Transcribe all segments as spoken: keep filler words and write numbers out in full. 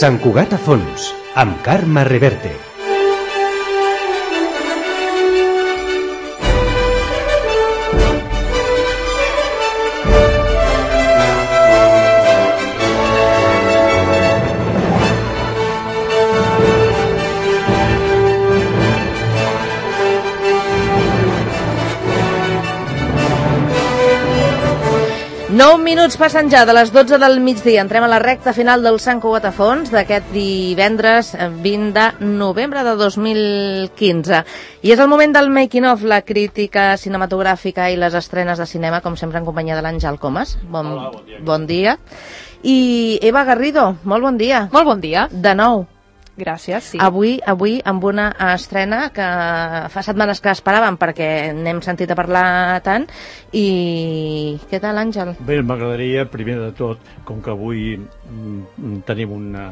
Sant Cugat a fons, amb Carme Reverte. nou minuts passen ja de les dotze del migdia. Entrem a la recta final del Sant Cugat a fons d'aquest divendres vint de novembre de dos mil quinze. I és el moment del making of, la crítica cinematogràfica i les estrenes de cinema, com sempre en companyia de l'Àngel Comas. Bon, Hola, bon dia. Bon dia. I Eva Garrido, molt bon dia. Molt bon dia. De nou. Gràcies, sí. Avui, avui amb una estrena que fa setmanes que esperàvem perquè n'hem sentit a parlar tant. I què tal, Àngel? Bé, m'agradaria, primer de tot, com que avui mm, tenim una,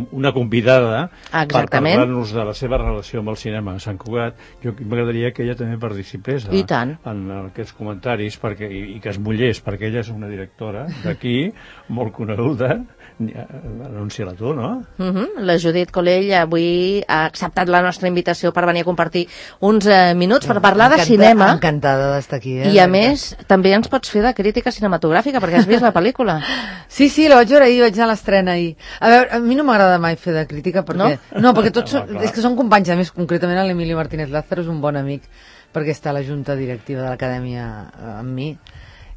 una convidada Exactament. Per parlar-nos de la seva relació amb el cinema a Sant Cugat, jo m'agradaria que ella també participés a, I tant. en aquests comentaris perquè, i, i que es mullés, perquè ella és una directora d'aquí, molt coneguda. Anuncia-la tu, no? Uh-huh. La Judit Colell avui ha acceptat la nostra invitació per venir a compartir uns eh, minuts per parlar Encanta, de cinema. Encantada d'estar aquí. Eh? I a més, també ens pots fer de crítica cinematogràfica, perquè has vist la pel·lícula. Sí, sí, la vaig veure ahir, vaig anar a l'estrena ahir. A veure, a mi no m'agrada mai fer de crítica, perquè... No, no perquè tots són, és que són companys, a més, concretament l'Emilio Martínez Lázaro és un bon amic, perquè està a la junta directiva de l'acadèmia amb mi,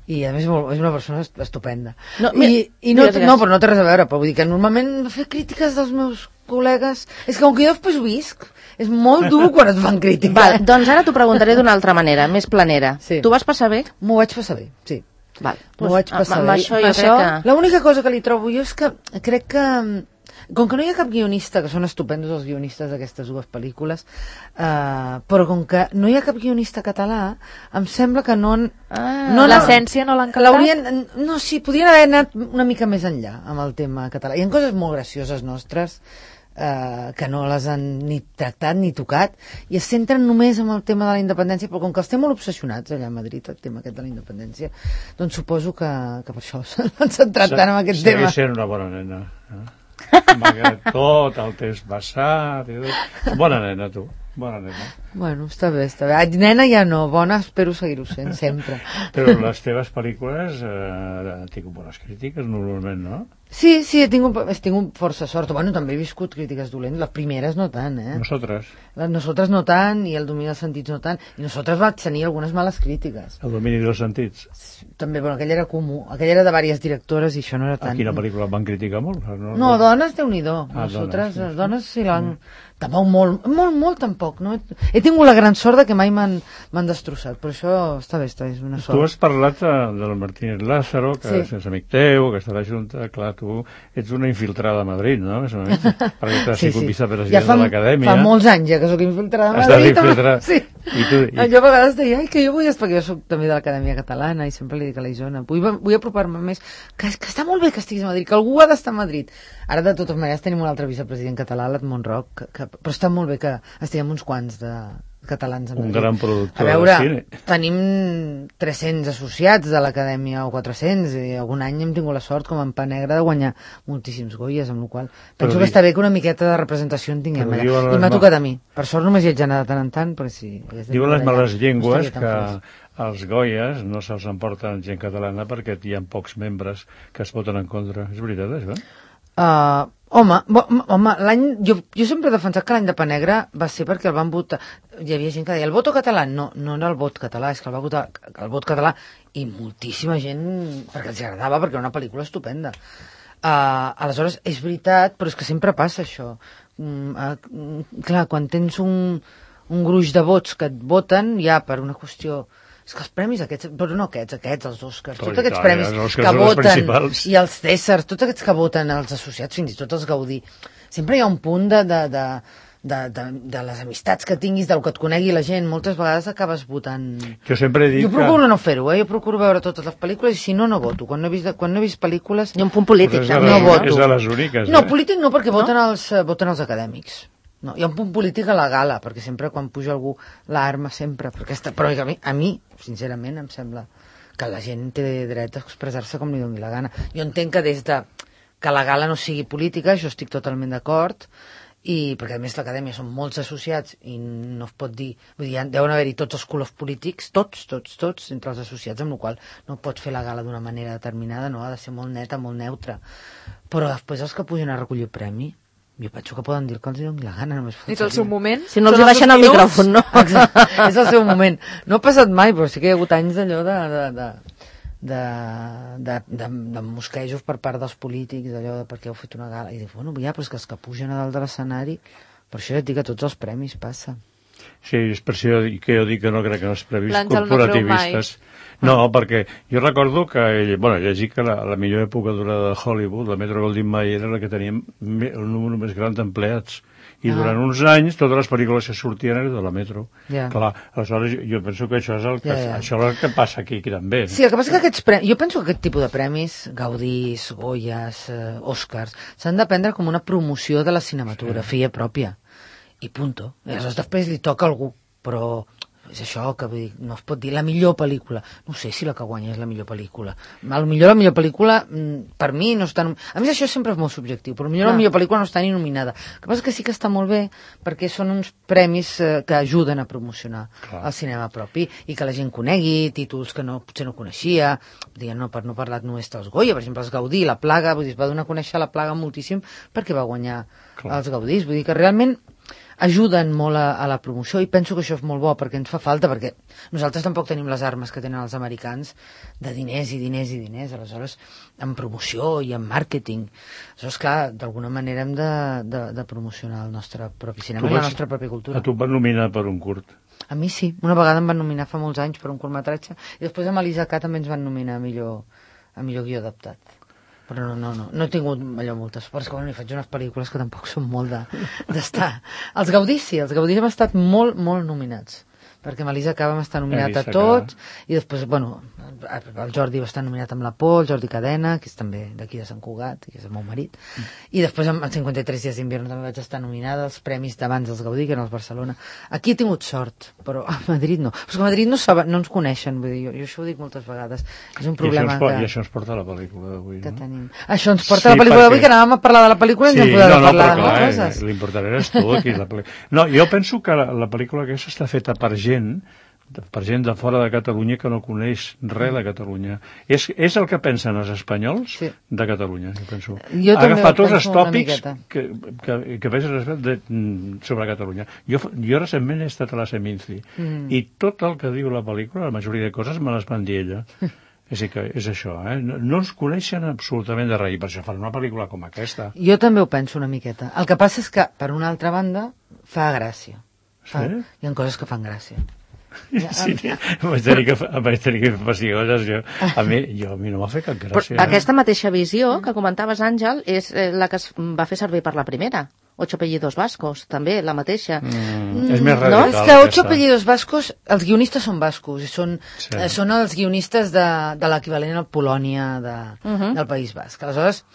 i a més és una persona estupenda. No, I, i no, no, però no té res a veure, però vull dir que normalment fer crítiques dels meus col·legues... És que com que jo després ho visc, és molt dur quan et fan crítica. Val, doncs ara t'ho preguntaré d'una altra manera, més planera. Sí. Tu vas passar bé? M'ho vaig passar bé, sí. Val, M'ho vaig passar amb, bé. amb això jo això, crec que... L'única cosa que li trobo jo és que crec que... Com que no hi ha cap guionista, que són estupendos els guionistes d'aquestes dues pel·lícules, eh, però com que no hi ha cap guionista català, em sembla que no... Ah, no l'essència no l'han captat? No, sí, podrien haver anat una mica més enllà amb el tema català. Hi ha coses molt gracioses nostres eh, que no les han ni tractat ni tocat i es centren només en el tema de la independència, però com que els té molt obsessionats allà a Madrid, el tema aquest de la independència, doncs suposo que, que per això s'han centrat tant en aquest tema. Segueix sent una bona nena, eh? Malgrat tot el temps passat, bona nena tu, bona nena. Bueno, està bé, està bé. Nena ja no, bona espero seguir-ho sent sempre. Però les teves pel·lícules eh, han tingut bones crítiques normalment, no? Sí, sí, he tingut, he tingut força sort. Bueno, també he viscut crítiques dolents, les primeres no tant, eh? Nosaltres. Les nosaltres no tant, i el domini dels sentits no tant, i nosaltres va tenir algunes males crítiques. El domini dels sentits? També, bueno, aquell era comú, aquell era de diverses directores i això no era tant. A quina pel·lícula van criticar molt? No, no dones, Déu-n'hi-do. Ah, nosaltres, dones, sí. Les dones sí l'han... Mm. Tampoc molt, molt, molt tampoc, no? He tingut la gran sort de que mai m'han destrossat, però això està bé, està bé, és una sort. Tu has parlat del Martínez Lázaro, que sí. És amic teu, que està a la Junta, clar, tu ets una infiltrada a Madrid, no? Més o menys, perquè t'has sí, sigut sí. vicepresident ja fa, de l'acadèmia. Fa molts anys ja que sóc infiltrada a Madrid. Estàs infiltrada. Sí. I tu, i... Jo a vegades deia, ai, que jo vull estar, perquè jo soc també de l'Acadèmia Catalana i sempre li dic a la Isona, vull, vull apropar-me més, que, que està molt bé que estiguis a Madrid, que algú ha d'estar a Madrid. Ara, de totes maneres, tenim un altre vicepresident català, l'Edmond Roc, que, que, però està molt bé que estiguem uns quants de catalans a Madrid. Un gran productor a veure, de cine. Tenim tres-cents associats de l'Acadèmia, o quatre-cents, i algun any hem tingut la sort, com en Pa Negre, de guanyar moltíssims Goyes, amb la qual penso però que està bé que una miqueta de representació en tinguem allà. I m'ha tocat a mi. Per sort només hi haig anat de tant en tant, perquè sí. Diuen les males llengües que els Goyes no se'ls emporten gent catalana perquè hi ha pocs membres que es voten en contra. És veritat, això? Uh, home, bo, home l'any, jo, jo sempre he defensat que l'any de Pa Negre va ser perquè el van votar, hi havia gent que deia el voto català, no, no era el vot català, és que el va votar el vot català i moltíssima gent perquè els agradava, perquè era una pel·lícula estupenda. Uh, aleshores és veritat, però és que sempre passa això. Uh, uh, clar, quan tens un, un gruix de vots que et voten ja per una qüestió... És que els premis aquests, però no aquests, aquests, els Oscars, tots aquests premis que voten, i els Cèsars, tots aquests que voten, els associats, fins i tot els Gaudí, sempre hi ha un punt de, de, de, de, de, de les amistats que tinguis, del que et conegui la gent, moltes vegades acabes votant... Jo sempre dic Jo procuro que... no fer-ho, eh? Jo procuro veure totes les pel·lícules i si no, no voto. Quan no he vist, quan no he vist pel·lícules... Hi ha un punt polític, pues també, no voto. És de les úniques, eh? No, polític no, perquè no? Voten, els, voten els acadèmics. No, hi ha un punt polític a la gala, perquè sempre quan puja algú l'arma, sempre, perquè està, però a mi, a mi, sincerament, em sembla que la gent té dret a expressar-se com li doni la gana. Jo entenc que des de que la gala no sigui política, això estic totalment d'acord, i perquè a més l'acadèmia són molts associats i no es pot dir, vull dir, deuen haver-hi tots els colors polítics, tots, tots, tots, entre els associats, amb la qual no pots fer la gala d'una manera determinada, no, ha de ser molt neta, molt neutra. Però després els que pugen a recollir el premi, jo penso que poden dir el que els doni la gana, només faltaria. És el seu moment? Si no els hi baixen el micròfon, no? Exacte, és el seu moment. No ha passat mai, però sí que hi ha hagut anys d'allò de... de, de de, de, de, de mosquejos per part dels polítics, d'allò de per què heu fet una gala, i dic, bueno, ja, però és que els que pugen a dalt de l'escenari, per això ja et dic que tots els premis passa. Sí, és per això que jo dic que no crec en els premis corporativistes. No, no, perquè jo recordo que, bueno, llegir que la, la millor època durada de Hollywood, la Metro-Goldwyn-Mayer, era la que teníem el número més gran d'empleats. I durant ah. uns anys totes les pel·lícules que sortien eren de la Metro. Yeah. Clar, aleshores jo, jo penso que això és el que, yeah, yeah. això és el que passa aquí, aquí també. Sí, el que passa que aquests premis, jo penso que aquest tipus de premis, Gaudís, Goyas, eh, Oscars, s'han de prendre com una promoció de la cinematografia sí. pròpia. I punto. I aleshores després li toca a algú, però és això que vull dir, no es pot dir la millor pel·lícula. No sé si la que guanya és la millor pel·lícula. A lo millor la millor pel·lícula, per mi, no està... A més, això sempre és molt subjectiu, però potser la millor pel·lícula no està ni nominada. El que passa que sí que està molt bé, perquè són uns premis eh, que ajuden a promocionar Clar. el cinema propi i que la gent conegui títols que no, potser no coneixia. Diguem, no, per no parlar només dels Goya, per exemple, els Gaudí, la Plaga, vull dir, es va donar a conèixer la Plaga moltíssim perquè va guanyar Clar. els Gaudís. Vull dir que realment ajuden molt a, a la promoció i penso que això és molt bo perquè ens fa falta, perquè nosaltres tampoc tenim les armes que tenen els americans de diners i diners i diners, aleshores en promoció i en màrqueting. Aleshores, clar, d'alguna manera hem de, de, de promocionar el nostre propi cinema i la nostra pròpia cultura. A tu et van nominar per un curt? A mi sí, una vegada em van nominar fa molts anys per un curtmetratge i després amb Elisa K també ens van nominar a millor, a millor guió adaptat. Però no, no, no, no he tingut allò moltes, però és que bueno, hi faig unes pel·lícules que tampoc són molt d'estar. De, els Gaudís sí, els Gaudís hem estat molt, molt nominats, perquè amb Elisa K vam estar nominat a tots, i després, bueno, el Jordi va estar nominat amb la Por, el Jordi Cadena, que és també d'aquí de Sant Cugat, que és el meu marit, mm. i després amb cinquanta-tres dies d'invierno també vaig estar nominada als premis d'abans dels Gaudí, que eren els Barcelona. Aquí he tingut sort, però a Madrid no. Però és que a Madrid no, saben, no ens coneixen, vull dir, jo, jo això ho dic moltes vegades. És un problema I això ens, que... I això ens porta a la pel·lícula d'avui, que no? tenim. Això ens porta sí, a la pel·lícula perquè... d'avui, que anàvem a parlar de la pel·lícula i sí, ens hem pogut no, no, parlar però, de clar, coses. L'important eres tu aquí. La pel·lícula. No, jo penso que la, la pel·lícula aquesta està feta per gent per gent de fora de Catalunya que no coneix res de Catalunya. És, és el que pensen els espanyols sí. de Catalunya, jo penso. Jo ha agafat tots els tòpics que, que, que pensen de, sobre Catalunya. Jo, jo recentment he estat a la Seminci mm. i tot el que diu la pel·lícula, la majoria de coses, me les van dir ella. És, que és això, eh? No, no ens coneixen absolutament de res, i per això fan una pel·lícula com aquesta. Jo també ho penso una miqueta. El que passa és que, per una altra banda, fa gràcia. Fa, sí? Hi ha coses que fan gràcia. Ja, sí, vaig tenir que, vaig tenir que fer pessigoses, jo. A mi, jo, a mi no m'ha fet cap gràcia. Però aquesta mateixa visió que comentaves, Àngel, és la que es va fer servir per la primera. Ocho apellidos vascos, també, la mateixa. Mm, és més radical. No, és que Ocho apellidos vascos, els guionistes són bascos, són, sí. eh, són els guionistes de, de l'equivalent al Polònia de, uh -huh. del País Basc. Aleshores,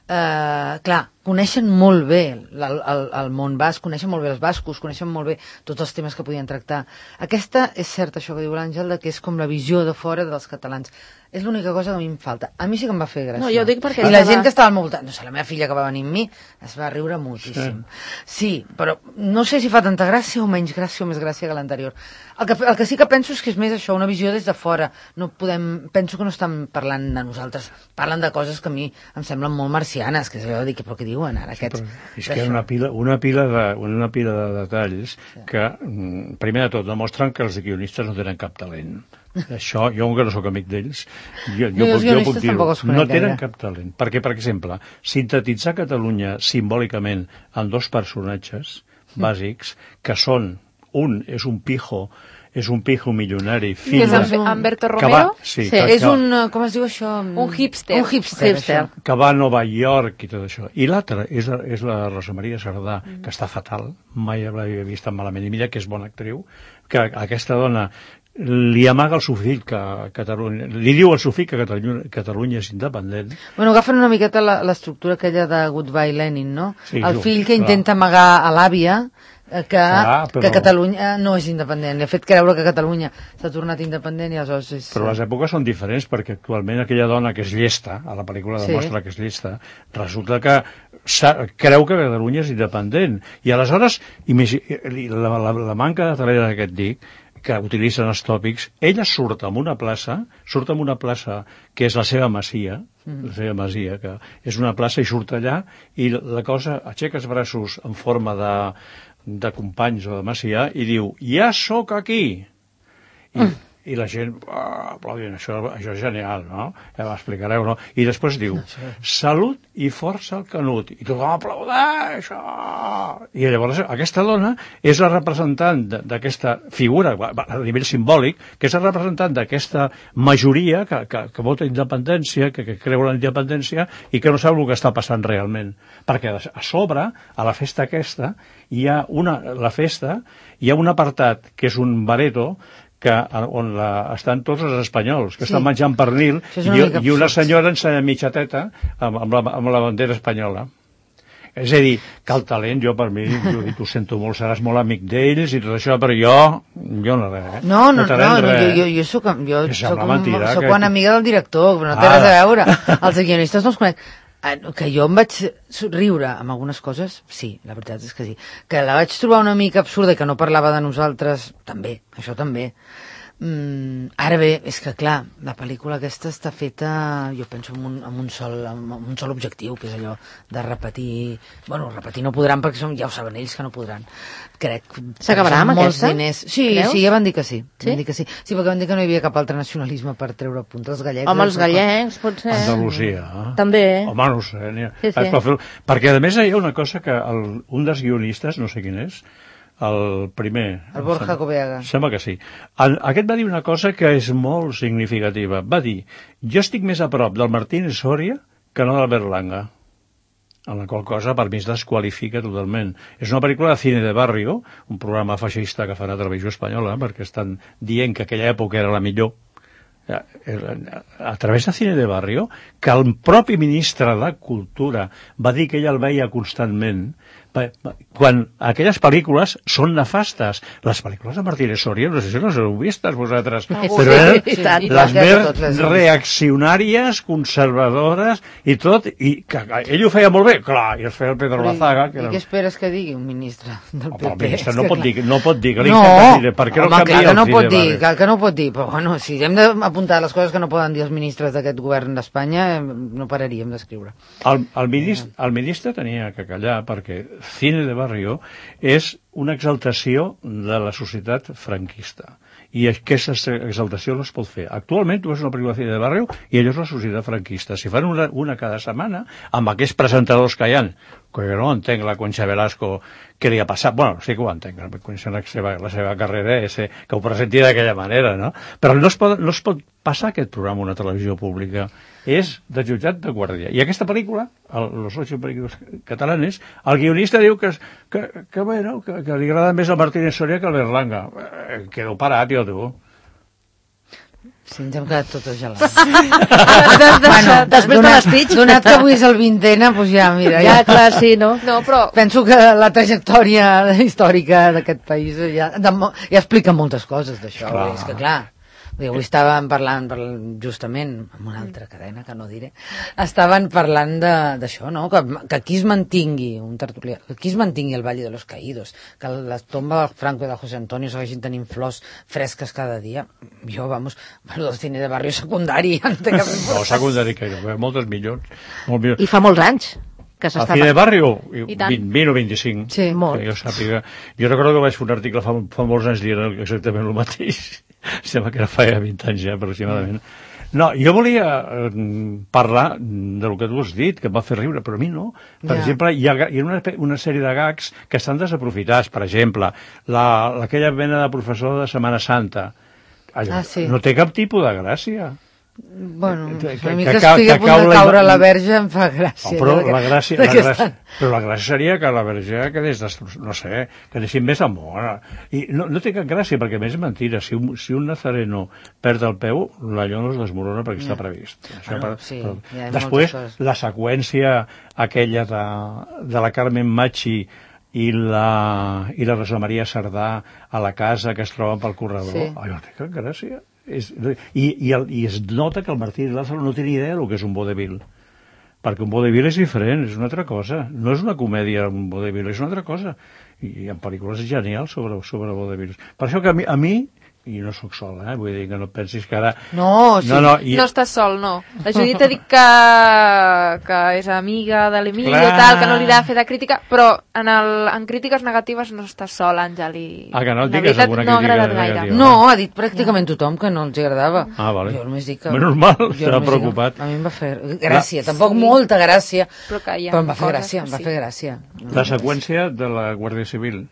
eh, clar, coneixen molt bé el, el, el món basc, coneixen molt bé els bascos, coneixen molt bé tots els temes que podien tractar. Aquesta és cert, això que diu l'Àngel, que és com la visió de fora dels catalans. És l'única cosa que a mi em falta. A mi sí que em va fer gràcia. No, jo dic perquè... I la gent que estava al meu voltant, no sé, la meva filla que va venir amb mi, es va riure moltíssim. Sí, sí, però no sé si fa tanta gràcia o menys gràcia o més gràcia que l'anterior. El que, el que sí que penso és que és més això, una visió des de fora. No podem, penso que no estan parlant de nosaltres, parlen de coses que a mi em semblen molt marcianes, que és allò de dir, però què diuen ara aquests? Sí, és que hi ha una pila, una, pila de, una pila de detalls sí. que, primer de tot, demostren que els guionistes no tenen cap talent. Això, jo que no sóc amic d'ells, jo, jo, jo, jo puc dir-ho, no tenen cap talent. Perquè, per exemple, sintetitzar Catalunya simbòlicament en dos personatges bàsics, que són, un és un pijo, és un pijo milionari, fill de... És Humberto Romero? Va, sí, sí, que, és un, com es diu això? Un hipster. Un hipster, hipster. Que va a Nova York i tot això. I l'altra és, és la Rosa Maria Sardà, mm. que està fatal, mai l'havia vist tan malament. I mira que és bona actriu, que aquesta dona li amaga al seu fill que Catalunya... Li diu al seu fill que Catalunya, Catalunya és independent. Bueno, agafen una miqueta l'estructura aquella de Goodbye Lenin, no? Sí, el fill que clar. intenta amagar a l'àvia que, Clar, però... que Catalunya no és independent. Li ha fet creure que Catalunya s'ha tornat independent i aleshores és... Però les èpoques són diferents, perquè actualment aquella dona que és llesta, a la pel·lícula demostra sí. que és llesta, resulta que creu que Catalunya és independent. I aleshores, la, la, la manca de talent d'aquest dic, que utilitzen els tòpics, ella surt en una plaça, surt en una plaça que és la seva masia, mm. la seva masia, que és una plaça i surt allà, i la cosa aixeca els braços en forma de, de companys o de masia i diu, ja sóc aquí! I, mm. i la gent, oh, aplaudint, això, això és genial, no? Ja m'explicareu, no? I després diu, salut i força al Canut. I tothom aplaudeix, oh! I llavors aquesta dona és la representant d'aquesta figura, a nivell simbòlic, que és la representant d'aquesta majoria que, que, que vota independència, que, que creu en la independència i que no sap el que està passant realment. Perquè a sobre, a la festa aquesta, hi ha una, la festa, hi ha un apartat que és un bareto que, on la, estan tots els espanyols, que sí. estan menjant pernil, i, i una senyora ensenya mitja teta amb, amb, la, amb la bandera espanyola. És a dir, que el talent, jo per mi, jo dic, ho sento molt, seràs molt amic d'ells i tot això, però jo, jo no res. Eh? No, no, no, no, no jo, jo, jo soc, jo soc, mentira, soc que... una amiga del director, però no té ah. res a veure. Els guionistes no els conec. Que jo em vaig riure amb algunes coses, sí, la veritat és que sí. Que la vaig trobar una mica absurda i que no parlava de nosaltres, també, això també. Mm, ara bé, és que clar, la pel·lícula aquesta està feta, jo penso, amb un, amb un, sol, amb un sol objectiu, que és allò de repetir... Bueno, repetir no podran perquè som, ja ho saben ells que no podran. Crec s'acabarà amb aquesta? Diners. Sí, creus? Sí, ja van dir que sí. Sí? Van dir que sí. Sí, perquè van dir que no hi havia cap altre nacionalisme per treure punt als gallecs. Home, els gallecs, potser. Andalusia. Eh? També. Home, no sé. Ha... Sí, sí. Per... Perquè, a més, hi ha una cosa que el, un dels guionistes, no sé quin és, el primer... El Borja Coveaga. Sembla que sí. El, aquest va dir una cosa que és molt significativa. Va dir, jo estic més a prop del Martínez Soria que no del Berlanga. En la qual cosa, per mi, es desqualifica totalment. És una pel·lícula de cine de barrio, un programa feixista que fa la televisió espanyola, perquè estan dient que aquella època era la millor, a través de cine de barrio, que el propi ministre de Cultura va dir que ella el veia constantment, quan aquelles pel·lícules són nefastes. Les pel·lícules de Martínez Soria, no sé si les heu vistes vosaltres, ah, però eren sí, sí, les més reaccionàries, conservadores i tot, i que ell ho feia molt bé, clar, i es feia el Pedro Lazaga. I què esperes que digui un ministre del P P? El ministre no pot dir, no pot dir que li no, encanta, per què no home, canvia clar que no el pot dir, clar que no pot dir, però bueno, si hem d'apuntar les coses que no poden dir els ministres d'aquest govern d'Espanya, no pararíem d'escriure. El, el, ministre, el ministre tenia que callar perquè cine de barrio és una exaltació de la societat franquista. I aquesta exaltació no es pot fer. Actualment tu veus una pel·lícula de cine de barrio i allò és la societat franquista. Si fan una, una cada setmana, amb aquests presentadors que hi ha, que jo no entenc la Concha Velasco què li ha passat. Bueno, sí que ho entenc, coneixent la seva, la seva carrera, és, que ho presenti d'aquella manera, no? Però no es pot, no es pot passar aquest programa a una televisió pública. És de jutjat de guàrdia. I aquesta pel·lícula, el, los ocho pel·lícules catalanes, el guionista diu que, que, que, bueno, que, que li agrada més el Martínez Soria que el Berlanga. Eh, quedo parat, jo, tu. Sí, ens hem quedat totes gelades. Bueno, després de l'espeig. Donat que avui és el vintena, doncs ja, mira. Ja, ja, clar, sí, no? No, però... Penso que la trajectòria històrica d'aquest país ja, de, ja explica moltes coses d'això. És que, clar... Avui estàvem parlant, parlant justament amb una altra cadena que no diré, estaven parlant d'això, no? Que, que aquí es mantingui un tertulià, que aquí es mantingui el Valle de los Caídos, que la tomba del Franco i del José Antonio segueixin tenint flors fresques cada dia. Jo, vamos, bueno, del cine de barri secundari ja no té cap importància. No, secundari que hi ha moltes milions. Molt milions. I fa molts anys que s'estava... El cine de barrio, vint o vint-i-cinc. Sí, molt. Jo sàpiga. Jo recordo que vaig fer un article fa, fa molts anys dient exactament el mateix. Sembla que era fa vint anys ja, aproximadament. No, jo volia eh, parlar del que tu has dit, que em va fer riure, però a mi no. Per yeah. exemple, hi ha, hi ha una, una sèrie de gags que estan desaprofitats. Per exemple, la, aquella mena de professor de Setmana Santa. Allò, ah, sí. No té cap tipus de gràcia. Bueno, que, a mi que, que que estigui a punt de cau la caure ima- la verge em fa gràcia. Oh, però, de que- la gràcia, de la que gràcia, estan- però la gràcia seria que la verge quedés, des, no sé, quedessin més amor. I no, no té cap gràcia, perquè a més és mentira. Si un, si un nazareno perd el peu, l'allò no es desmorona perquè està previst. Això Bueno, per, sí, però, hi ha després, moltes coses. la seqüència aquella de, de la Carmen Machi i la, i la Rosa Maria Sardà a la casa que es troben pel corredor, Sí. allò té cap gràcia. És, i, i, el, I es nota que el Martí Lázaro no té ni idea del que és un vodevil, perquè un vodevil és diferent, és una altra cosa, no és una comèdia un vodevil, és una altra cosa, i hi ha pel·lícules genials sobre, sobre vodevils. Per això que a mi, a mi i no sóc sol, eh? Vull dir que no et pensis que ara... No, sí. no, no, i... No estàs sol, no. La Judit ha dit que, que és amiga de l'Emilio, Clar. tal, que no li ha de fer de crítica, però en, el, en crítiques negatives no estàs sol, Àngel. I Ah, que no et la digues veritat, alguna no ha crítica agradat gaire. negativa. No, ha dit pràcticament tothom que no els agradava. Ah, vale. Jo només dic que... Menys mal, jo estava només dic que preocupat. A mi em va fer gràcia, tampoc Sí. molta gràcia, Però que hi ha però em va fer coses gràcia, que em va sí. fer gràcia. La seqüència de la Guàrdia Civil.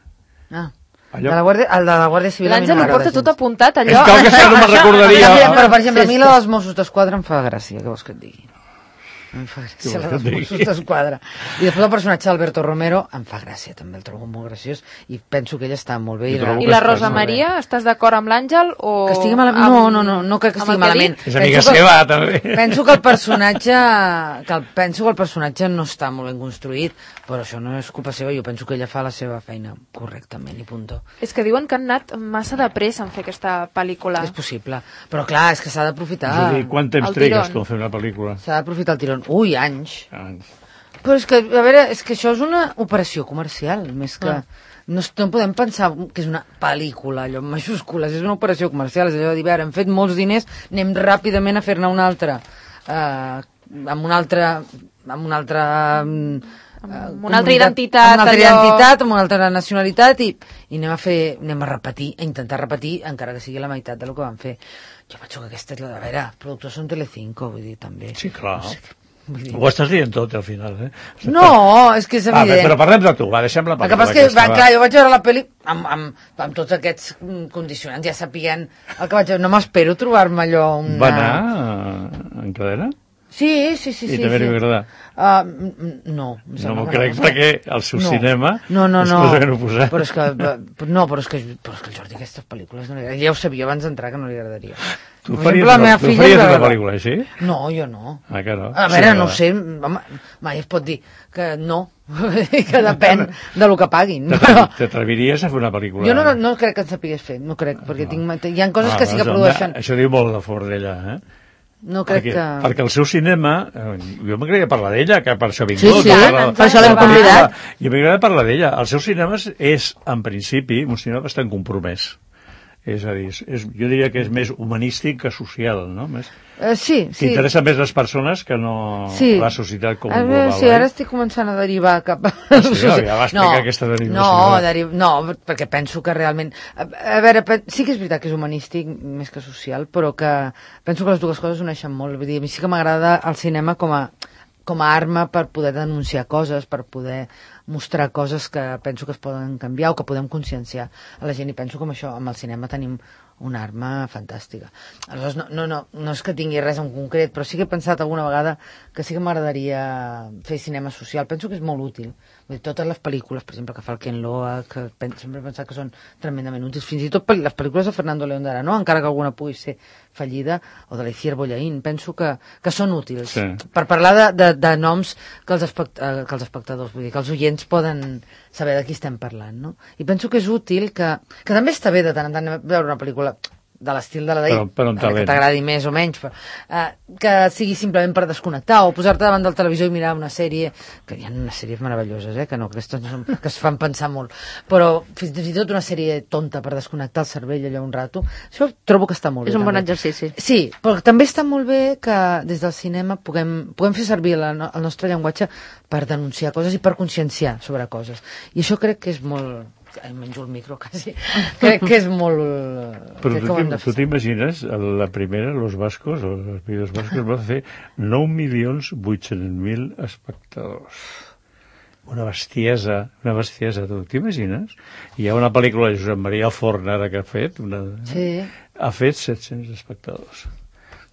Ah, Allò... de la Guàrdia, el de la Guàrdia Civil a mi no L'Àngel ho m'agrada porta gens. tot apuntat, allò. És que el que sé no me'n recordaria. Però, però, per exemple, a mi la dels Mossos d'Esquadra em fa gràcia, què vols que et digui? Em fa gràcia Què la vols dels que et digui? Mossos d'Esquadra. I després el personatge d'Alberto Romero em fa gràcia, també el trobo molt graciós, i penso que ella està molt bé. Jo I, trobo I que la estàs Rosa molt bé. Maria, estàs d'acord amb l'Àngel o... Que estigui malament? amb- No, no, no, no crec que amb estigui el ha malament. dit? És amiga Penso que- seva, també. Penso que el personatge que el, penso que el personatge no està molt ben construït, però això no és culpa seva, jo penso que ella fa la seva feina correctament i punto. És que diuen que han anat massa de pressa en fer aquesta pel·lícula. És possible, però clar, és que s'ha d'aprofitar. És a dir, quant temps El trigues tirón. tu a fer una pel·lícula? S'ha d'aprofitar el tirón. Ui, anys. Ah, Però és que, a veure, és que això és una operació comercial, més que... Ah. No, es- no podem pensar que és una pel·lícula, allò, en majúscules, és una operació comercial, és allò de dir, a veure, hem fet molts diners, anem ràpidament a fer-ne una altra, eh, amb una altra... amb una altra... mm, Amb eh, una altra comunitat- identitat, amb una altra allò- identitat, amb una altra nacionalitat, i, i anem a fer, anem a repetir, a intentar repetir, encara que sigui la meitat del que van fer. Jo penso que aquesta és la de... A veure, productors són Telecinco, vull dir, també. sí, clar. Vull dir... Ho estàs dient tot, al final, eh? No, és que és Ah, evident. però parlem de tu, va, deixem la El que pel·lícula. passa és que, aquesta, va, va. clar, jo vaig veure la pel·li amb, amb, amb tots aquests mm, condicionants, ja sapien el que vaig veure. No m'espero trobar-me allò una... Va anar en cadena? Sí, sí, sí. I sí, també sí. li va agradar? Uh, mm, mm, no. em No sembla m'ho que crec, perquè el seu No. cinema No, no, és no. cosa que no posem. Però és que, eh, no, però és que, però és que el Jordi aquestes pel·lícules no li agradaria. Ja ho sabia abans d'entrar que no li agradaria. Tu Per faries, exemple, la una, meva tu filla faries és una veure- pel·lícula així? No, jo no. Ah, que no? A Sí, veure, que no ho va. sé, home, mai es pot dir que no, que depèn de lo que paguin. T'atrevi- Però T'atreviries a fer una pel·lícula? jo no, no crec que en sapigués fer, no crec, perquè tinc, hi ha coses Ah, que sí que doncs, produeixen. Això diu molt de fort d'ella, eh? No crec perquè, que... perquè el seu cinema, eh, jo m'agradaria parlar d'ella, que per això ha vingut. Sí, sí, de la- per això l'hem de la pel·lícula. convidat. Jo m'agradaria parlar d'ella. El seu cinema és, és, en principi, un cinema bastant compromès. És a dir, és, és, jo diria que és més humanístic que social, no? Més, Eh, sí, que sí. interessa més les persones que no Sí. la societat com A un veure, global. sí, eh? ara estic començant a derivar cap a... Sí, ja va explicar aquesta derivació. No, deri... no, perquè penso que realment... A, a veure, pe- sí que és veritat que és humanístic més que social, però que penso que les dues coses uneixen molt. Vull dir, a mi sí que m'agrada el cinema com a, com a arma per poder denunciar coses, per poder mostrar coses que penso que es poden canviar o que podem conscienciar a la gent, i penso que amb això, amb el cinema tenim una arma fantàstica. Aleshores, no, no, no, no és que tingui res en concret, però sí que he pensat alguna vegada que sí que m'agradaria fer cinema social. Penso que és molt útil. Vull dir, totes les pel·lícules, per exemple, que fa el Ken Loach, que pen, sempre he pensat que són tremendament útils. Fins i tot pel- les pel·lícules de Fernando León de Arano, encara que alguna pugui ser fallida, o de l'Icier Bollaín, penso que, que són útils. Sí. Per parlar de, de, de noms que els, espect, eh, que els espectadors, vull dir, que els oients poden saber de qui estem parlant, no? I penso que és útil que... Que també està bé de tant en tant veure una pel·lícula de l'estil de la d'ahir, Però- però amb que talent. t'agradi més o menys, però, eh, que sigui simplement per desconnectar o posar-te davant del televisor i mirar una sèrie, que hi ha unes sèries meravelloses, eh, que no, aquestes no són, que es fan pensar molt, però fins i tot una sèrie tonta per desconnectar el cervell allò un rato, això trobo que està molt bé. És un bon també. exercici. Sí, però també està molt bé que des del cinema puguem, puguem fer servir la, no- el nostre llenguatge per denunciar coses i per conscienciar sobre coses. I això crec que és molt... Ai, menjo el micro, quasi. Crec que és molt... Però crec tu que ho hem t'im- de tu fer. t'imagines, la primera, Los Vascos, o els Pidos Vascos, va fer nou milions vuit-cents mil espectadors. Una bestiesa, una bestiesa, tu t'imagines? Hi ha una pel·lícula de Josep Maria Forn, ara, que ha fet, una, Sí. ha fet set-cents espectadors.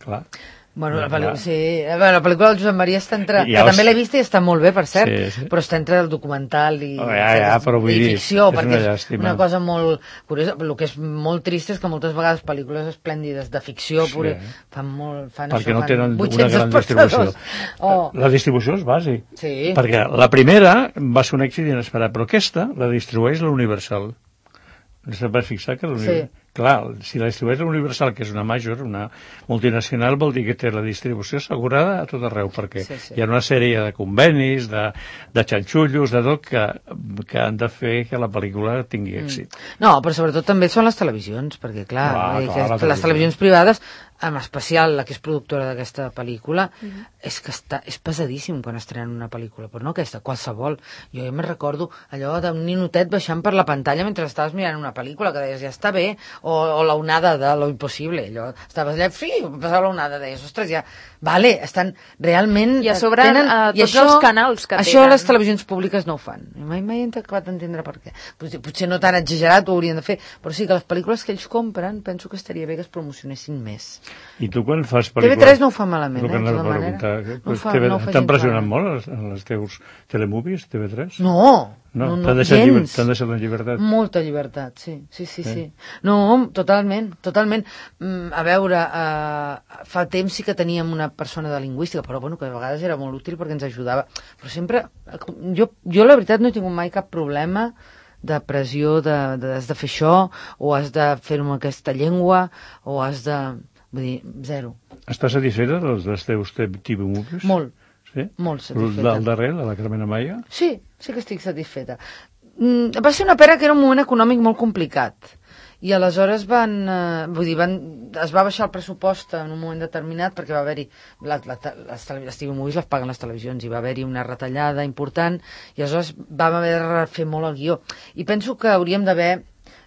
clar. Bueno, la pel·lícula, sí. Bueno, la pel·lícula del Josep Maria està entre... Ja que us- també l'he vista i està molt bé, per cert, Sí, sí. però està entre el documental i, Oh, ja, ja, però vull i dir, ficció, és perquè una és llàstima. una cosa molt curiosa. El que és molt trist és que moltes vegades pel·lícules esplèndides de ficció Sí. pure, fan molt... Fan Perquè això, no fan tenen una vuit-cents gran distribució. espectadors. Oh, La distribució és bàsic. sí. Perquè la primera va ser un èxit inesperat, però aquesta la distribueix la Universal. Se'n va fixar que la Universal... Sí. Clar, si la distribueix la Universal, que és una major, una multinacional, vol dir que té la distribució assegurada a tot arreu, perquè Sí, sí. hi ha una sèrie de convenis, de, de xanxullos, de tot, que, que han de fer que la pel·lícula tingui èxit. No, però sobretot també són les televisions, perquè clar, Clar, vull dir clar, que la les televisió. televisions privades, en especial la que és productora d'aquesta pel·lícula, és que està, és pesadíssim quan estrenen una pel·lícula, però no aquesta, qualsevol. Jo ja me'n recordo allò d'un ninotet baixant per la pantalla mentre estaves mirant una pel·lícula, que deies, ja està bé, o, o la onada de lo impossible, allò, estaves allà, fi, passava la onada, deies, ostres, ja, vale, estan realment... I a sobre, eh, tots els canals que això tenen. les televisions públiques no ho fan. I mai, mai he acabat d'entendre per què. Potser, potser no tan exagerat ho haurien de fer, però sí que les pel·lícules que ells compren penso que estaria bé que es promocionessin més. I tu quan fas T V pel·lícules... tres no ho fa malament, El que eh, de anava tota a manera. preguntar, No ho fa- T V no ho fa T'han gens pressionat malament. molt els, els teus telemovies, T V tres? No, No, no, no, t'han deixat, lliber, gens. t'han deixat en llibertat. Molta llibertat, sí, sí, sí, Sí. sí. No, totalment, totalment. Mm, a veure, uh, fa temps sí que teníem una persona de lingüística, però bueno, que a vegades era molt útil perquè ens ajudava. Però sempre, jo, jo la veritat no he tingut mai cap problema de pressió de, de has de fer això, o has de fer-ho amb aquesta llengua, o has de... Vull dir, zero. Estàs satisfeta dels, dels teus T V movies? Molt, Sí? molt El satisfeta. del darrer, de la Carmen Amaya? Sí, sí que estic satisfeta. Mm, va ser una pena que era un moment econòmic molt complicat. I aleshores van, eh, vull dir, van, es va baixar el pressupost en un moment determinat perquè va haver-hi, la, la, les, tele- les T V Movies les paguen les televisions, i va haver-hi una retallada important, i aleshores vam haver de refer molt el guió. I penso que hauríem d'haver...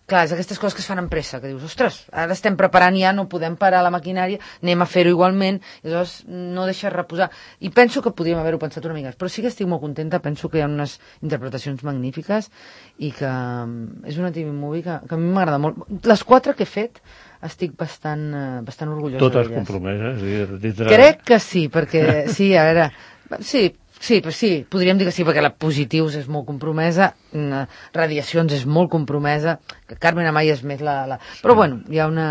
Clar, és aquestes coses que es fan amb pressa, que dius, ostres, ara estem preparant ja, no podem parar la maquinària, anem a fer-ho igualment, i aleshores no deixes reposar. I penso que podríem haver-ho pensat una mica, però sí que estic molt contenta, penso que hi ha unes interpretacions magnífiques i que mm, és una T V movie que, que a mi m'agrada molt. Les quatre que he fet estic bastant, eh, bastant orgullosa Totes d'elles. compromeses. És a dir, Crec que sí, perquè, sí, a veure, sí, sí, però sí, podríem dir que sí, perquè la Positius és molt compromesa, mm, Radiacions és molt compromesa, que Carmen Amaya és més la... la... Però bueno, hi ha una...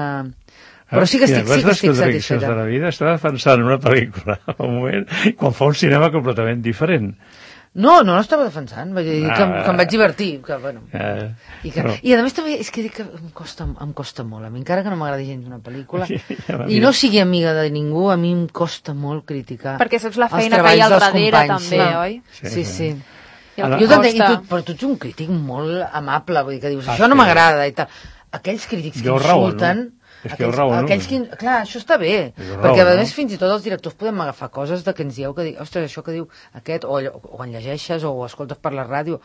Però sí que estic, sí que estic satisfeta. de la vida està defensant una pel·lícula al moment quan fa un cinema completament diferent. No, no l'estava defensant, vaig dir que, Ah. que em vaig divertir, que bueno... Eh, I, que, però- I a més també és que dic que em costa, em costa molt, a mi encara que no m'agradi gens una pel·lícula, Ja va, i mira. no sigui amiga de ningú, a mi em costa molt criticar Perquè saps la els feina que hi ha al treballs dels darrere, companys, també, sí. oi? Sí, Sí, sí. sí. I el Ara- que Jo t'entenc, i costa... tu, però tu ets un crític molt amable, vull dir que dius, Ah, això no sí. m'agrada i tal. Aquells crítics que Jo raó, insulten... no? És que jo aquells, raó, no? aquells que, clar, això està bé, Jo raó, perquè a no? més fins i tot els directors podem agafar coses de que ens dieu que diu, ostres, això que diu aquest, o, allò- o en llegeixes o ho escoltes per la ràdio,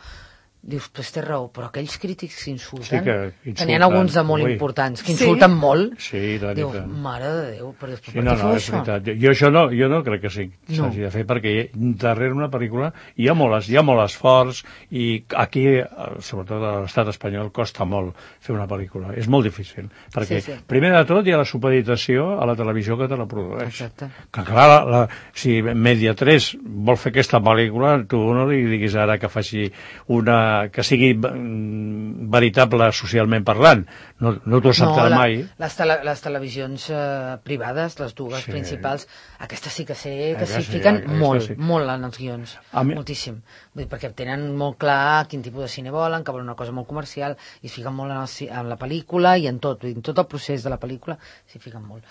dius, pues té raó, però aquells crítics que insulten, Sí que que n'hi insulten, ha alguns de molt ui. importants, que Sí? insulten molt, Sí, la diu, veritat. mare de Déu, però després Sí, per no, què no, feu és això? veritat. Jo, jo això no, jo no crec que sí, No. s'hagi de fer, perquè darrere una pel·lícula hi ha molt, hi ha molt esforç i aquí, eh, sobretot a l'estat espanyol, costa molt fer una pel·lícula. És molt difícil, perquè Sí, sí. primer de tot hi ha la supeditació a la televisió que te la produeix. Exacte. Que clar, la, la, si Media tres vol fer aquesta pel·lícula, tu no li diguis ara que faci una... que sigui mm, veritable socialment parlant. No, no t'ho acceptarà la, mai. Les, tele, les televisions eh, privades, les dues Sí. principals, aquestes sí que sé que Aquestes s'hi sí, fiquen aquestes molt, sí. molt en els guions, A mi- moltíssim. Vull dir, perquè tenen molt clar quin tipus de cine volen, que volen una cosa molt comercial, i es fiquen molt en, el, ci- en la pel·lícula i en tot, vull dir, en tot el procés de la pel·lícula s'hi fiquen molt.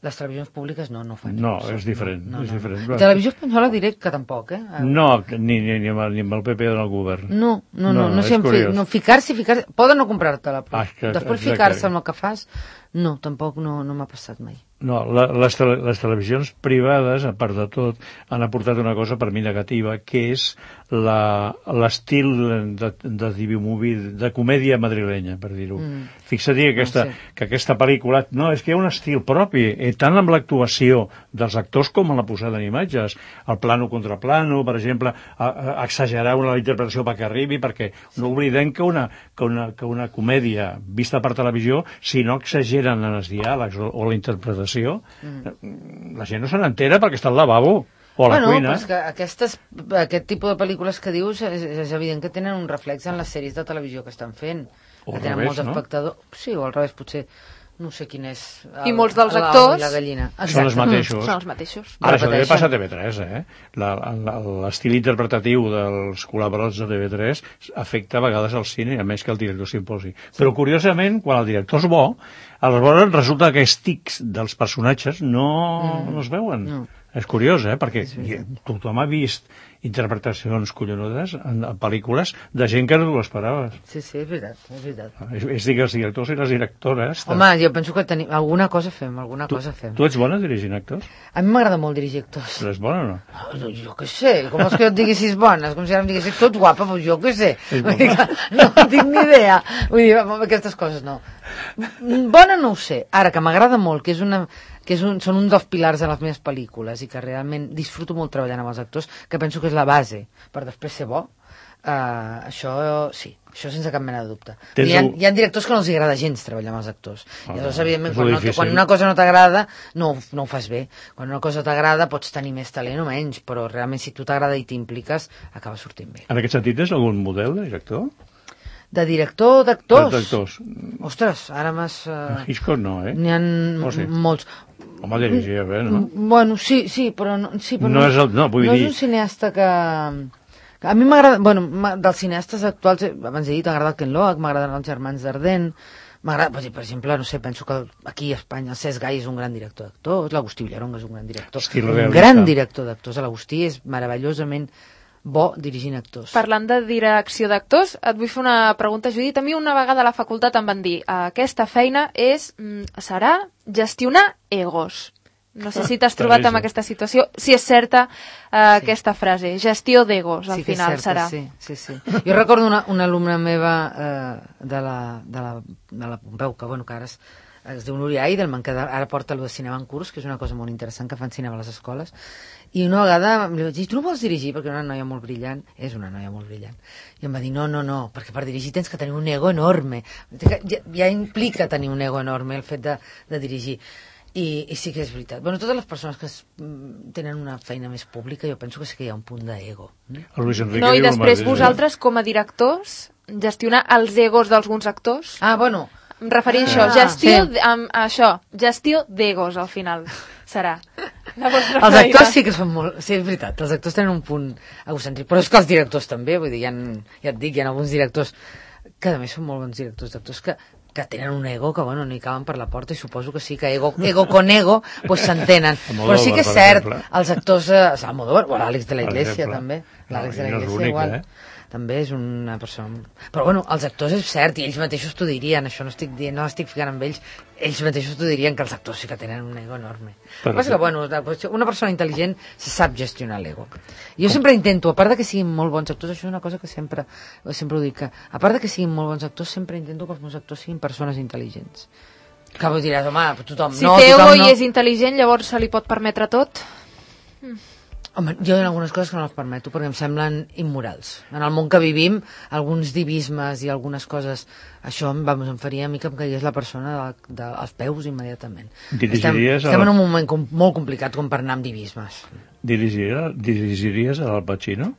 Les televisions públiques no, no fan No, això. és diferent, No, no, és no. diferent. I televisió espanyola diré que tampoc, eh? No, ni, ni, ni, amb, el- ni amb el P P del govern. No, no, no, No, no, no, és sé en fi, curiós. no ficar-s'hi, ficar-se, poden no comprar-te-la, però Ah, és que- després exacte. ficar-se amb el que fas, no, tampoc no, no m'ha passat mai. No, la, les, tele, les televisions privades, a part de tot, han aportat una cosa per mi negativa, que és la- l'estil de, de T V movie, de comèdia madrilenya, per dir-ho. Mm. Fixa't que aquesta, Ah, sí. que aquesta pel·lícula... No, és que hi ha un estil propi, eh, tant amb l'actuació dels actors com en la posada en imatges. El plano contra plano, per exemple, a, a, exagerar una la interpretació perquè arribi, perquè no oblidem que una, que una, que una comèdia vista per televisió, si no exageren en els diàlegs o, o la interpretació, mm. la gent no se n'entera perquè està al lavabo. O a la bueno, cuina. Però és que aquestes, aquest tipus de pel·lícules que dius és, és evident que tenen un reflex en les sèries de televisió que estan fent. O que al tenen revés, molts no? espectadors. Sí, o al revés, potser. No sé quin és... El, I molts dels el, actors la gallina. Són els mateixos. Són els mateixos. Ara, això també Repeteixen. passa a T V tres, eh? La- la- L'estil interpretatiu dels col·laboradors de T V tres afecta a vegades al cine, a més que el director s'imposi. Però, curiosament, quan el director és bo, aleshores resulta que els tics dels personatges no, mm. no es veuen. No. És curiós, eh? Perquè tothom ha vist interpretacions collonudes en, en pel·lícules de gent que no t'ho esperaves. Sí, sí, és veritat, és veritat. És, és dir, que els directors i les directores... Home, jo penso que tenim... Alguna cosa fem, alguna tu, cosa fem. Tu ets bona dirigint actors? A mi m'agrada molt dirigir actors. Però és bona o no? No, jo què sé, com és que jo et diguessis bona? És com si ara em diguessis tu ets guapa, doncs jo què sé. Vull dir que no tinc ni idea. Vull dir, aquestes coses no. Bona no ho sé. Ara, que m'agrada molt, que és una... que és un, són un dels pilars de les meves pel·lícules i que realment disfruto molt treballant amb els actors, que penso que és la base per després ser bo, uh, això sí, això sense cap mena de dubte. Hi ha, hi ha directors que no els agrada gens treballar amb els actors. Ah, I llavors, evidentment, quan, no, quan una cosa no t'agrada, no, no ho fas bé. Quan una cosa t'agrada pots tenir més talent o menys, però realment si tu t'agrada i t'impliques, acaba sortint bé. En aquest sentit, és algun model de director? De director, d'actors? D'actors. Ostres, ara m'has... Uh... Hitchcock no, eh? N'hi ha oh, sí. molts. Home, dirigia bé, no? Bueno, sí, sí, però no, sí, però no, no, és, el, no, vull no dir... és un cineasta que... que a mi m'agrada... Bueno, dels cineastes actuals, abans he dit, m'agrada el Ken Loach, m'agraden els germans Dardenne, m'agrada, per exemple, no sé, penso que aquí a Espanya el Cesc Gai és un gran director d'actors, l'Agustí Villaronga és un gran director. Estil un realista. Gran director d'actors. L'Agustí és meravellosament bo dirigint actors. Parlant de direcció d'actors, et vull fer una pregunta, Judit. A mi una vegada a la facultat em van dir aquesta feina és, serà gestionar egos. No sé si t'has trobat amb aquesta situació, si és certa uh, sí. aquesta frase, gestió d'egos, al sí final certa, serà. Sí, sí, sí. Jo recordo una, una alumna meva eh, de, la, de, la, de la Pompeu, que, bueno, que ara es, es diu Núria Eidelman, que ara porta el de cinema en curs, que és una cosa molt interessant, que fan cinema a les escoles, i una vegada li vaig dir, tu no vols dirigir? Perquè era una noia molt brillant, és una noia molt brillant. I em va dir, no, no, no, perquè per dirigir tens que tenir un ego enorme. Ja, ja implica tenir un ego enorme el fet de, de dirigir. I, i sí que és veritat. Bueno, totes les persones que es, tenen una feina més pública, jo penso que sí que hi ha un punt d'ego. No, i després vosaltres, com a directors, gestionar els egos d'alguns actors? Ah, bueno. Em refereixo a això, gestió, sí. amb, a això, gestió d'egos, al final, serà. Els actors sí que són molt... Sí, és veritat, els actors tenen un punt egocèntric, però és que els directors també, vull dir, hi ha, ja et dic, hi ha alguns directors que a més són molt bons directors d'actors que, que tenen un ego que, bueno, no hi caben per la porta i suposo que sí, que ego, ego con ego pues s'entenen. Però sí que és cert, els actors... Eh, Almodóvar, o l'Àlex de la Iglesia també, l'Àlex de la Iglesia igual... Eh? També és una persona... Però bueno, els actors és cert, i ells mateixos t'ho dirien, això no estic dient, no estic ficant amb ells, ells mateixos t'ho dirien que els actors sí que tenen un ego enorme. Però que, que, bueno, una persona intel·ligent se sap gestionar l'ego. Jo sempre intento, a part de que siguin molt bons actors, això és una cosa que sempre, sempre ho dic, que a part de que siguin molt bons actors, sempre intento que els meus actors siguin persones intel·ligents. Que vull dir, home, tothom si no... Si té ego no... i és intel·ligent, llavors se li pot permetre tot? Mm. Home, jo hi ha algunes coses que no les permeto perquè em semblen immorals. En el món que vivim, alguns divismes i algunes coses, això vamos, em faria a mi que em caigués la persona de, de, als peus immediatament. Estem, estem en un moment com, molt complicat com per anar amb divismes. Dirigiries, dirigiries a l'Al Pacino?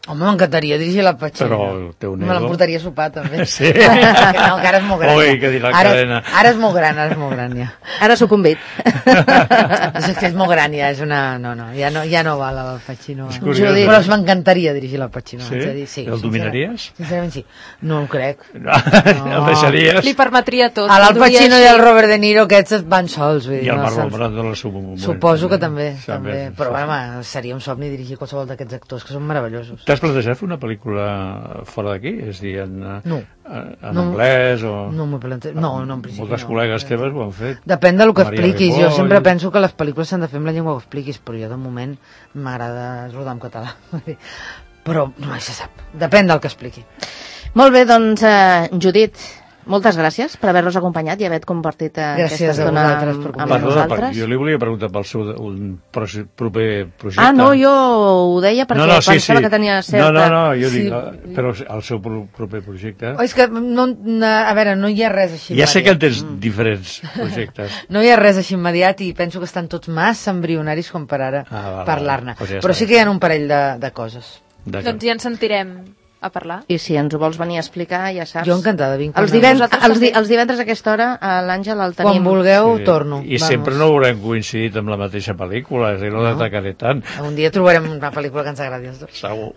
Home, m'encantaria dirigir l'Al Pacino. Però el teu nego... Me l'emportaria a sopar, també. Sí. No, que ara és molt gran. Ui, que dirà ara, cadena. Ara és molt gran, ara és molt gran, ja. Ara s'ho convit. És que és molt gran, ja és una... No, no, ja no, ja no val l'Al Pacino. Curiós, però m'encantaria dirigir l'Al Pacino. Sí? Dir, sí? El dominaries? Sincerament sí. No ho crec. No. El deixaries? Li permetria tot. L'Al Pacino i el Robert De Niro, aquests van sols. Vull dir, I el no, Marlon Brando en el seu moment. Suposo que també. també. Sí, però, sí. home, seria un somni dirigir qualsevol d'aquests actors, que són meravellosos. T'has plantejat fer una pel·lícula fora d'aquí? És a dir, en, no. en no, anglès o... No m'ho plantejat. No, no, en principi moltes no. col·legues teves ho han fet. Depèn del que Maria expliquis. Ripoll. Jo sempre penso que les pel·lícules s'han de fer amb la llengua que expliquis, però jo de moment m'agrada rodar en català. Però no se sap. Depèn del que expliqui. Molt bé, doncs, eh, Judit, moltes gràcies per haver-nos acompanyat i haver compartit aquesta estona amb, amb nosaltres. Jo li volia preguntar pel seu un proper projecte. Ah, no, jo ho deia perquè no, no, sí, pensava sí. que tenia certa... No, no, no, jo sí. dic, però el seu proper projecte... Oh, és que, no, a veure, no hi ha res així ja immediat. sé que en tens mm. diferents projectes. No hi ha res així immediat i penso que estan tots massa embrionaris com per ara ah, parlar-ne. Pues ja però sí que hi ha un parell de, de coses. Doncs ja ens sentirem a parlar. I si ens ho vols venir a explicar, ja saps. Jo encantada, vinc. Els, divend els, di els divendres a aquesta hora l'Àngel el tenim. Quan vulgueu, sí. torno. I Vamos. Sempre no haurem coincidit amb la mateixa pel·lícula, és a dir, no, no. t'atacaré tant. Un dia trobarem una pel·lícula que ens agradi els dos. Segur.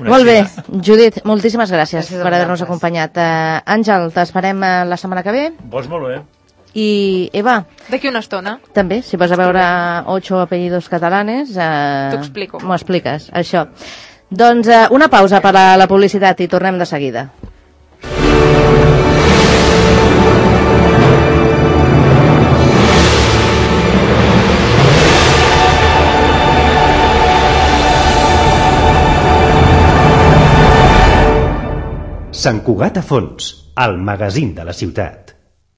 Molt bé, Judit, moltíssimes gràcies, gràcies per haver-nos acompanyat. Uh, Àngel, t'esperem uh, la setmana que ve. Vols molt bé. I Eva. D'aquí una estona. També, si vas a veure ocho apellidos catalanes... Uh, T'ho explico. M'ho expliques, això. Doncs uh, una pausa per a la publicitat i tornem de seguida. Sant Cugat a Fons, el magazín de la ciutat.